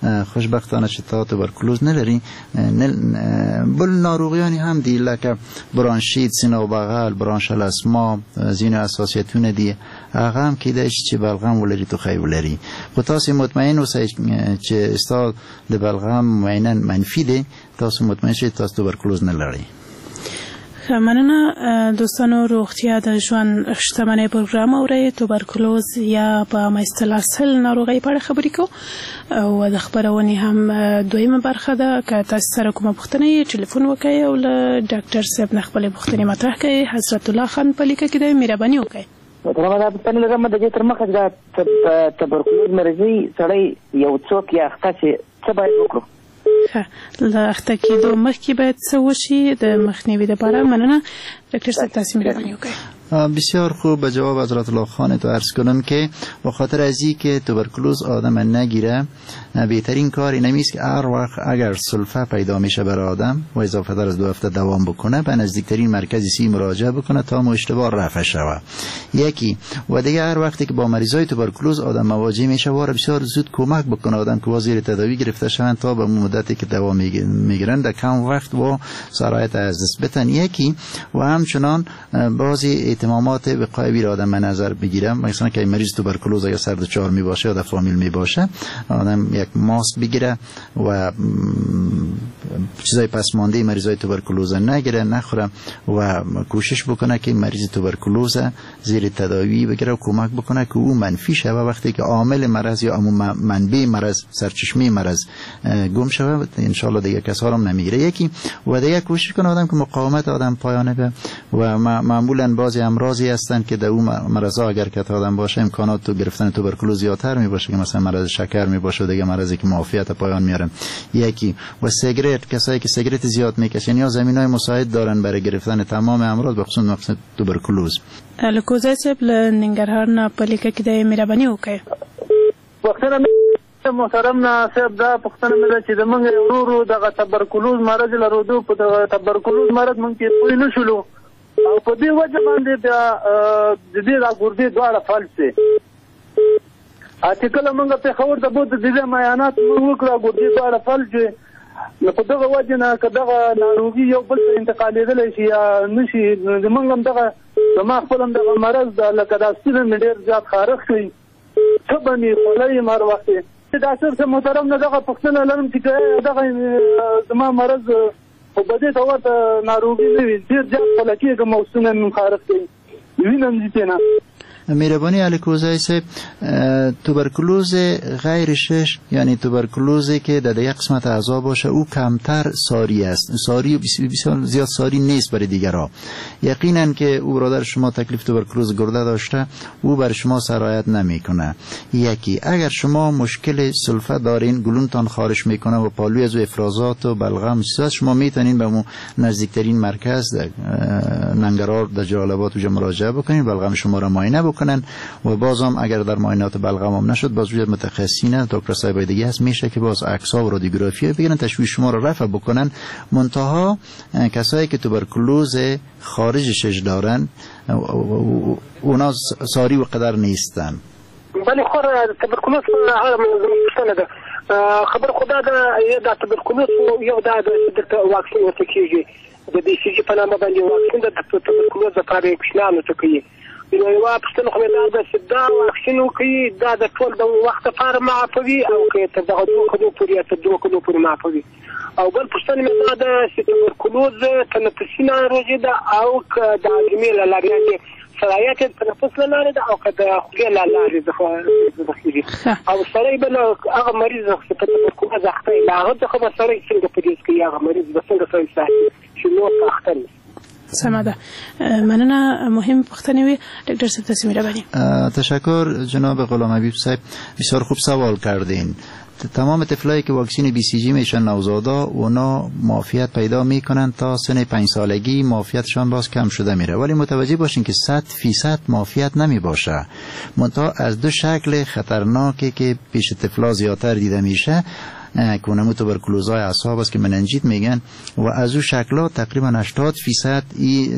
خوشبختانه چې تا توبرکلوز نه لري. بل ناروغیانې هم دي لکه برانشیت، سینه و بغل، برانشل اسما، ځینې حساسیتونه دي، هغه هم کیدای شي چې بلغم ولري، ټوخی ولري. خو تاسو مطمئن اوسئ چې ستا د بلغم معاینه منفي دی، تاسو مطمئن شئ تاسو توبرکلوز نه لرئ. ښه، مننه دوستانو. روغتیا د ژوند شتمنۍ پروګرام اورئ. توبرکلوز یا په عامه اصطلاح سل ناروغۍ په اړه خبرې کوو او د خپرونې هم دویمه برخه ده. که تاسو سره کومه پوښتنه یې ټلیفون وکړئ او له ډاکټر صاحب نه خپلې پوښتنې مطرح کړئ. حضرت الله خان په لیکه کې دی، مهرباني وکړئ. محترمه، دا پوښتنه لرم د دې تر مخه چې دا توبرکلوز مرضي سړی یو څوک یا اخته شي څه باید وکړو؟ ښه، له اخته کېدو مخکې باید څه وشي د مخنیوي لپاره؟ مننه ډاکټر صاحب، تاسو مهرباني وکړئ. بسیار خوب، به جواب حضرت الله خان تو عرض کنم که به خاطر ازی که توبرکلوز آدم نگیره، بهترین کار این است که هر وقت اگر سلفه پیدا میشه برای آدم و اضافه تر از 2 هفته دوام بکنه، به نزدیکترین مرکز سی مراجعه بکنه تا اشتباه رفع شوه. یکی و دیگه هر وقتی که با مریضای توبرکلوز آدم مواجه میشه، واره بسیار زود کمک بکنه آدم که زیر تداوی گرفته شوند تا به مدتی که دوا میگیرن در کم وقت و سرایت از دست بتن. یکی و همچنان بعضی اهتمامات وقایوی را آدم نظر بگیرم، مثلا که مریض توبرکلوز اگر سر دچار می باشه یا در فامیل می باشه، آدم یک ماسک بگیره و چیزای پسمانده مریضای توبرکلوز نگیره، نخوره و کوشش بکنه که مریض توبرکلوز زیر تداوی بگیره و کمک بکنه که او منفی شه و وقتی که عامل مرض یا منبع مرض، سرچشمه مرض گم شوه، ان شاء الله دیگه کسا هم نمیگیره. یکی و دیگه کوشش کنه آدم که مقاومت آدم پایانه به و معمولا بعضی امراضی هستند که در اون مرضا اگر که آدم باشه امکانات تو گرفتن توبرکلوز زیادتر می باشه، که مثلا مرض شکر می باشه و دیگه مرضی که معافیت پایان میارن. یکی و سیگرت، کسایی که سیگرت زیاد میکشن یا زمینای مساعد دارن برای گرفتن تمام امراض به خصوص مقصد توبرکلوز. الکوزای صاحب له ننګرهار نه په لیکه کې دی، مهرباني وکړئ. پوښتنه محترم نه صاحب، دا پوښتنه مې ده چې زمونږ ورور دغه توبرکلوز مرض لرو، په دغه توبرکلوز مرض مونږ کې پوه نه شولو او په دې وجه باندې بیا د دې دا ګردې دواړه فلج شي. چې کله مونږ پېښور ته بوتلو د دې معاینات مونږ وکړه، ګردې دواړه فلج شوې. نو په دغه وجه نه که دغه ناروغي یو بل ته انتقالېدلی شي یا نه شي، زمونږ هم دغه زما خپل هم دغه مرض ده، لکه دا ستونی مې ډېر زیات خارښ کوي، تبه مې خوله یم هر وخت. ډاکټر صاحب محترم نه دغه پوښتنه لرم چې که دغه زما مرض خو به دې ته ورته ناروغي نه وي، ډېر زیات خوله کېږم او ستونی مې خارښ کوي، وینم ځي ترې نه. مهربانی الکوزای صاحب، توبرکلوز غیر شش یعنی توبرکلوزی که در یک قسمت اعضا باشه او کمتر ساری است، ساری بسیار زیاد ساری نیست برای دیگرها. یقینا که او برادر شما تکلیف توبرکلوز گرده داشته، او بر شما سرایت نمیکنه. یکی اگر شما مشکل سلفه دارین، گلونتان خارش میکنه و پالوی از افرازات و بلغم چیزا، شما میتونین به مو نزدیکترین مرکز در ننگرهار در جلال آباد اونجا مراجعه بکنین، بلغم شما را معاینه بکنن و بازم اگر در معاینات بلغم هم نشد، باز وجود متخصصین دکتر صاحب دیگه هست، میشه که باز عکس‌ها و رادیوگرافی بگیرن، تشویش شما رو رفع بکنن. منتها کسایی که توبرکلوز خارج شش دارن اونا ساری و قدر نیستن. بله خور توبرکلوز هغه پوښتنه ده. خبر خدا ده دا توبرکلوز یو دا د واکسین ورته کیږي، د بي سي جي په نامه باندې واکسین د توبرکلوز لپاره کوچنیانو ته کوي. نو یوه پوښتنه خو مې دا ده چې دا واکسین وکړي دا د ټول د وخت لپاره معافوي او که تر دغه 2 کلو پورې یا تر 2 کلو پورې معافوي؟ او بل پوښتنه مې دا ده چې توبرکلوز تنفسي ناروغي ده او که د هاضمې له لارې، یعنې سرایت یې د تنفس له لارې ده او که د خولې له لارې دخېږي؟ او سړی به له هغه مریض چې په توبرکلوز اخته وي، له هغه څخه به سړی څنګه پرهېز کوي، هغه مریض به څنګه سړی ساتي چې نور په اخته نه شي؟ سمه ده، مننه، مهم پوښتنې وي. ډاکټر صاحب تاسو مهرباني. تشکر جناب غلام حبیب صاحب، بسیار خوب سوال کردین. تمام طفلایی که واکسین بی سی جی میشن نوزادا، اونا معافیت پیدا میکنن تا سن 5 سالگی، معافیتشان باز کم شده میره، ولی متوجه باشین که 100% معافیت نمی باشه. منتها از دو شکل خطرناکی که پیش طفلا زیادتر دیده میشه، که اونمو توبرکلوزهای اعصاب است که مننجیت میگن و از او شکل‌ها تقریبا 80% ای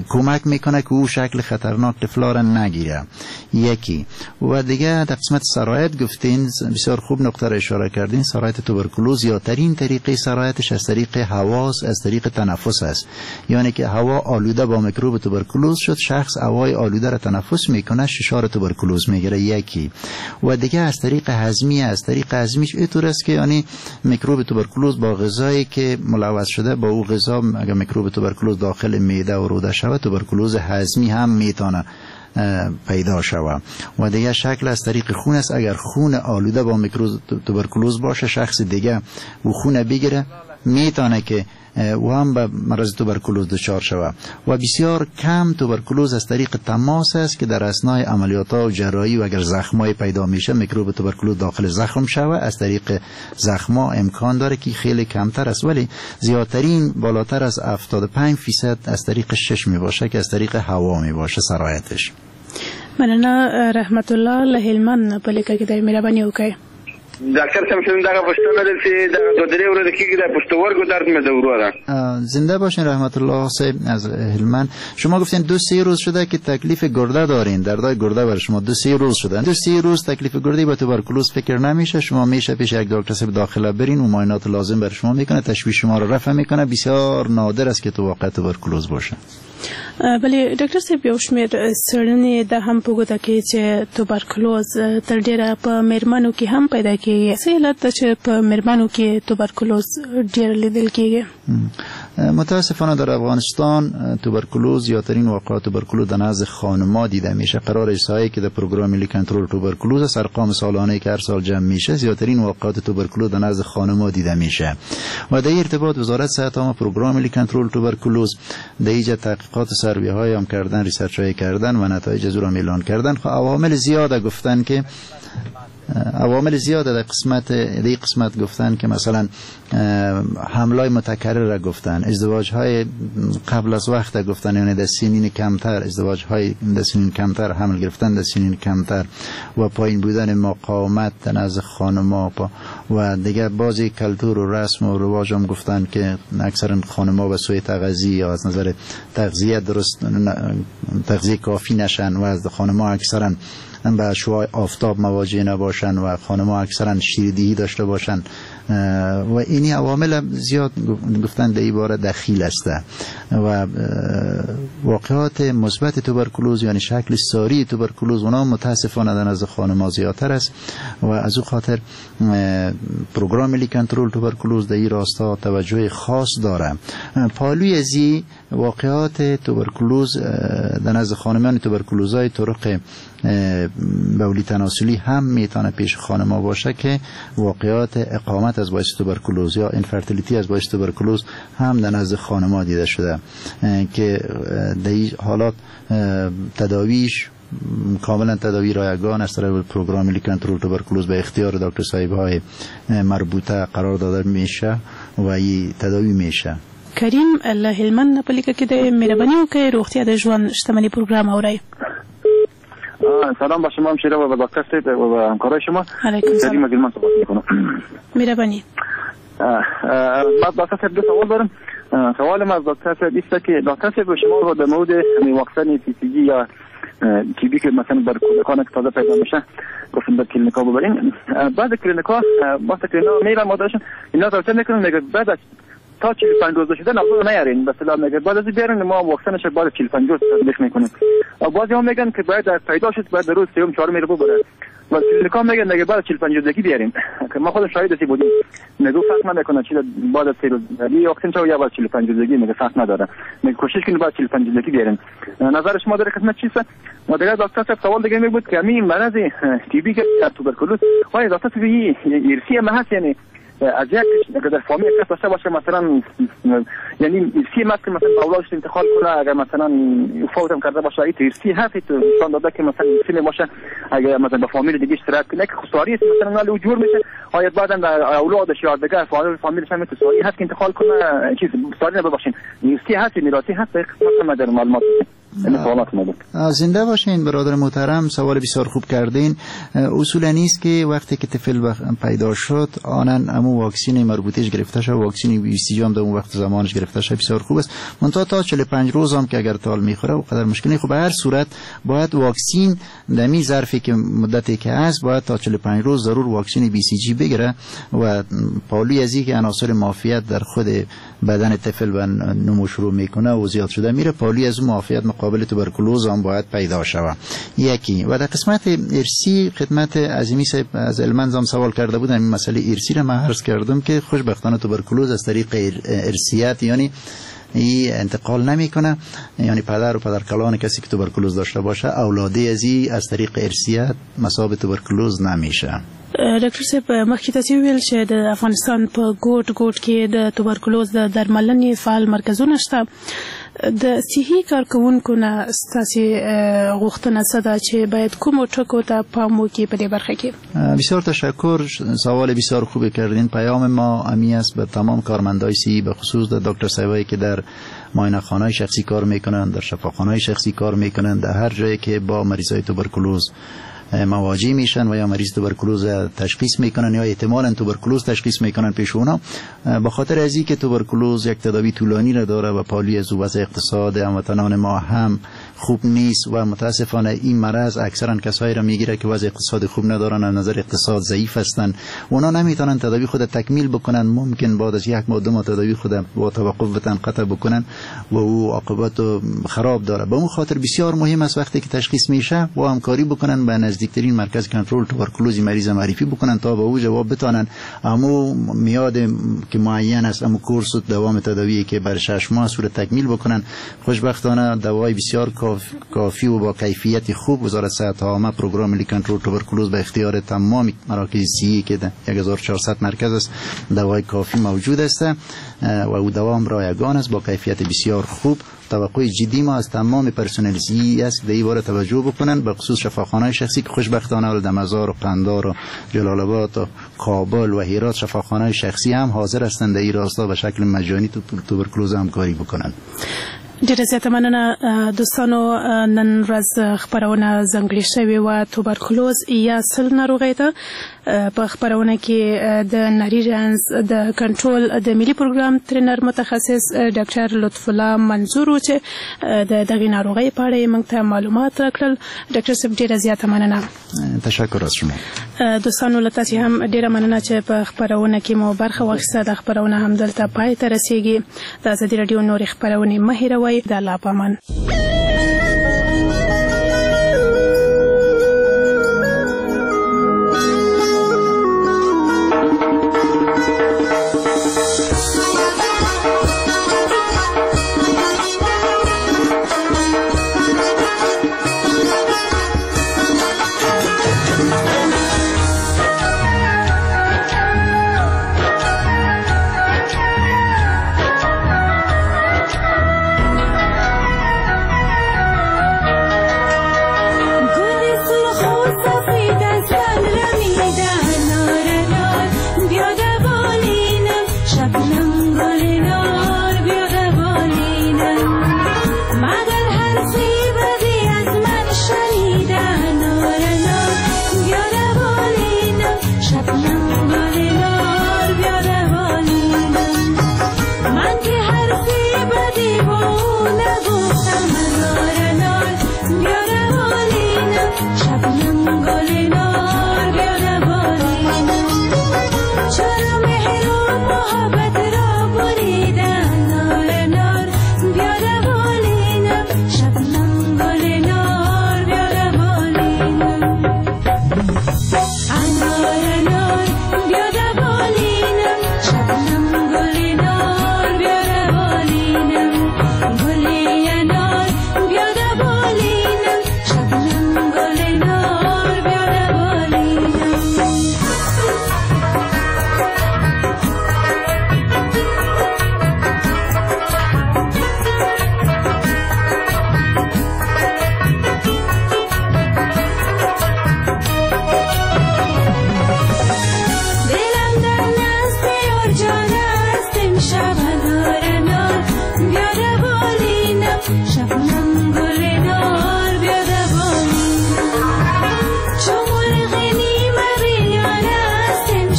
کمک میکنه که او شکل خطرناک طفلا را نگیره. یکی و دیگه در قسمت سرایت گفتین، بسیار خوب نقطه را اشاره کردین. سرایت توبرکلوز یا ترین طریقه سرایتش از طریق هواست، از طریق تنفس است. یعنی که هوا آلوده با میکروب توبرکلوز شد، شخص هوای آلوده را تنفس میکنه، ششار توبرکلوز میگیره. یکی و دیگه از طریق هضمی، از طریق هضمیش اینطور است که یعنی میکروب توبرکلوز با غذایی که ملوث شده با او غذا اگر میکروب توبرکلوز داخل معده و روده شود، توبرکلوز هضمی هم میتونه پیدا شود. و دیگه شکل از طریق خون است. اگر خون آلوده با میکروب توبرکلوز باشه، شخص دیگه و خون بگیره، میتونه که و هم به مرض توبرکلوز دچار شود. و بسیار کم توبرکلوز از طریق تماس است که در اثنای عملیات ها و جراحی و اگر زخمای پیدا میشه میکروب توبرکلوز داخل زخم شود، از طریق زخما امکان داره که خیلی کمتر است، ولی زیادترین بالاتر از 75% از طریق شش می باشه که از طریق هوا می باشه سرایتش. مننه رحمت الله له هلمند په لیکه کې دی، مهرباني وکړئ. ډاکټر صاحب شم دغه پوښتنه ده چې دغه دوه درې ورځې کېږي د پښتورګو درد مې ده وروره. زنده باشین رحمت الله صاحب از هلمند. شما گفتین 2-3 روز شده که تکلیف گرده دارین، دردای گرده بر شما 2-3 روز شده. 2-3 روز تکلیف گرده با توبرکلوز فکر نمیشه. شما میشه پیش یک دکتر صاحب داخله برین و معاینات لازم بر شما میکنه، تشویش شما رو رفع میکنه. بسیار نادر است که تو واقع توبرکلوز باشه. بله ډاکټر صاحب، یو شمېر څېړنې دا هم په ګوته کوي چې توبرکلوز تر ډېره په میرمنو کې هم پیدا کېږي. څه علت ده چې په میرمنو کې توبرکلوز ډېر لیدل کېږي؟ متاسفانه در افغانستان توبرکلوز یا ترین واقعات توبرکلوز در نزد خانم‌ها دیده میشه. قرار احصایی که در پروگرام ملی کنترل توبرکلوز است، ارقام سالانه که هر سال جمع میشه، زیادترین واقعات توبرکلوز در نزد خانم‌ها دیده میشه. و در ارتباط وزارت صحت عامه پروگرام ملی کنترل توبرکلوز در ایجاد تحقیقات سروی های هم کردن، research های کردن و نتایج از او را اعلان کردن. خب عوامل زیاد گفتن که عوامل زیاد در قسمت در قسمت گفتن که مثلا حملای متکرر را گفتن، ازدواج های قبل از وقت گفتن، یعنی در سنین کمتر ازدواج های در سنین کمتر، حمل گرفتن در سنین کمتر و پایین بودن مقاومت نزد خانم‌ها و دیگه بعضی کلتور و رسم و رواج هم گفتن که اکثرا خانم‌ها به سوی تغذیه یا از نظر تغذیه درست تغذیه کافی نشن و از خانم‌ها اکثرا به شعاع آفتاب مواجه نباشن و خانم‌ها اکثرا شیردهی داشته باشن و اینی عوامل زیاد گفتن در این باره دخیل است. و واقعات مثبت توبرکلوز یعنی شکل ساری توبرکلوز اونا متاسفانه در نزد خانم‌ها زیادتر است و از او خاطر پروگرام ملی کنترل توبرکلوز در این راستا توجه خاص داره. پالوی ازی واقعات توبرکلوز در نزد خانمان توبرکلوزهای طرق بولی تناسلی هم میتونه پیش خانم‌ها باشه که واقعات اقامت از باعث توبرکلوز یا infertility از باعث توبرکلوز هم در نزد خانم‌ها دیده شده که در این حالات تداویش کاملا تداوی رایگان از طرف پروگرام ملی کنترل توبرکلوز به اختیار دکتر صاحب های مربوطه قرار داده میشه و این تداوی میشه. کریم له هلمند په لیکه کې دی، مهرباني وکړئ روغتیا د ژوند شتمني پروګرام اورئ. سلام با شما همشیره و با دکتر صاحب و با همکارای شما. کریم از هلمند صحبت میکنم. مهرباني. من دکتر صاحب دو سوال دارم. سوالم از دکتر صاحب است که دکتر صاحب شما در مورد واکسن BCG یا TB که مثلا بر کودکان که تازه پیدا میشه گفتن بر کلینیکا ببرین، بعد کلینیکا وقتی که اینا میرن مادرشون اینا توصیه میکنن میگه بعد از تا 45 روز شده نبود نیارین، به اصطلاح میگه بعد از بیارین ما واکسنش بعد 45 روز تطبیق میکنیم. بعضی هم میگن که باید پیدا شد بعد روز سوم چهارم میره ببره و کلینیکا میگن دیگه بعد 45 روزگی بیارین که ما خودم شاهد هستی بودیم. میگه فرق نمیکنه چی بعد از 3 روز واکسن چه یا بعد 45 روزگی، میگه فرق نداره، میگه کوشش کنید بعد 45 روزگی بیارین. نظر شما در قسمت چیست؟ و دیگه دکتر صاحب سوال دیگه می بود که همین مرض TB که توبرکلوز آیا دکتر صاحب ارثی هم هست؟ یعنی از یک در فامیل کس داشته باشه مثلا، یعنی ارثی هست که مثلا اولادش انتقال کنه، اگر مثلا فوت هم کرده باشه این ارثی هست نشان داده که مثلا ارثی باشه، اگر مثلا به فامیل دیگه اشتراک کنه که خساری است مثلا او جور میشه، آیا بعدا در اولادش یا دیگه فامیلش هم ساری هست که انتقال کنه؟ چیز ساری نباشین، ارثی هست، میراثی هست؟ قسمت ما در معلومات. این سوالات ما بود. زنده باشین برادر محترم، سوال بسیار خوب کردین. اصولا نیست که وقتی که طفل پیدا شد آنن امو واکسین مربوطش گرفته شد، واکسین BCG هم در اون وقت زمانش گرفته شد، بسیار خوب است. منتها تا 45 روز هم که اگر تال میخوره و قدر مشکلی خب به هر صورت باید واکسین دمی ظرفی که مدتی که هست باید تا 45 روز ضرور واکسین BCG بگیره و پالوی از که عناصر معافیت در خود بدن طفل و نمو شروع میکنه و زیاد شده میره، پالوی از معافیت مقابل توبرکلوز هم باید پیدا شود. یکی و در قسمت ارسی خدمت عظیمی صاحب از المنز هم سوال کرده بودن، این مسئله ارسی را من عرض کردم که خوشبختانه توبرکلوز از طریق ارثیت یعنی ای انتقال نمیکنه، یعنی پدر و پدرکلان کسی که توبرکلوز داشته باشه اولاده ازی از طریق ارثیت مصاب توبرکلوز نمیشه. ډاکټر صاحب مخکې تاسو ویل چې د افغانستان په ګوټ ګوټ کې د توبرکلوز د درملنې فعال مرکزونه شته، د صحي کارکوونکو نه ستاسې غوښتنه څه ده چې باید کومو ټکو ته پام وکړي په دې برخه کې؟ بسیار تشکر، سوال بسیار خوبی کردین. پیام ما امی است به تمام کارمندای صحی، به خصوص در دکتر صاحبایی که در معاینه خانه شخصی کار میکنن، در شفاخانه شخصی کار میکنن، در هر جایی که با مریضای توبرکلوز مواجه میشن و یا مریض توبرکلوز تشخیص میکنن یا احتمالاً توبرکلوز تشخیص میکنن پیش اونا، به خاطر از اینکه توبرکلوز یک تداوی طولانی را داره و پالی از وضع اقتصاد هموطنان ما هم خوب نیست و متاسفانه این مرض اکثرا کسایی را میگیره که وضع اقتصاد خوب ندارن، از نظر اقتصاد ضعیف هستن، اونا نمیتونن تداوی خود تکمیل بکنن، ممکن بعد از یک ماه دو ماه تداوی خود با توقف وطن قطع بکنن و او عاقبت خراب داره. به اون خاطر بسیار مهم است وقتی که تشخیص میشه و همکاری بکنن به نزدیکترین مرکز کنترل توبرکلوز مریض معرفی بکنن تا به او جواب بتانن امو میاد که معین است، امو کورس و دوام تداوی که بر 6 ماه صورت تکمیل بکنن. خوشبختانه دوای بسیار کافی و با کیفیت خوب وزارت صحت عامه پروگرام ملی کنترل توبرکلوز به اختیار تمام مراکز صحی که 1400 مرکز است دوای کافی موجود است و او دوام رایگان است با کیفیت بسیار خوب. توقع جدی ما از تمام پرسنل صحی است که به این توجه بکنن، به خصوص شفاخانه شخصی که خوشبختانه در مزار و قندار و جلال آباد و کابل و هرات شفاخانه شخصی هم حاضر هستند در این راستا به شکل مجانی توبرکلوز همکاری بکنن. ډیره زیاته مننه دوستانو. نن ورځ خپرونه ځانګړې شوې وه توبرکلوز یا سل ناروغۍ ته. په خپرونه کې د نري رنځ د کنټرول د ملي پروګرام ترینر متخصص ډاکټر لطف الله منظور و چې د دغې ناروغۍ په اړه یې موږ ته معلومات راکړل. ډاکټر صاحب ډیره زیاته مننه. تشکر از شما. دوستانو له تاسې هم ډیره مننه چې په خپرونه کې مو برخه واخیسته. دا خپرونه هم دلته پای ته رسیږي. د ازادي راډیو نورې خپرونې مه هېروئ. د الله په امان.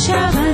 شود.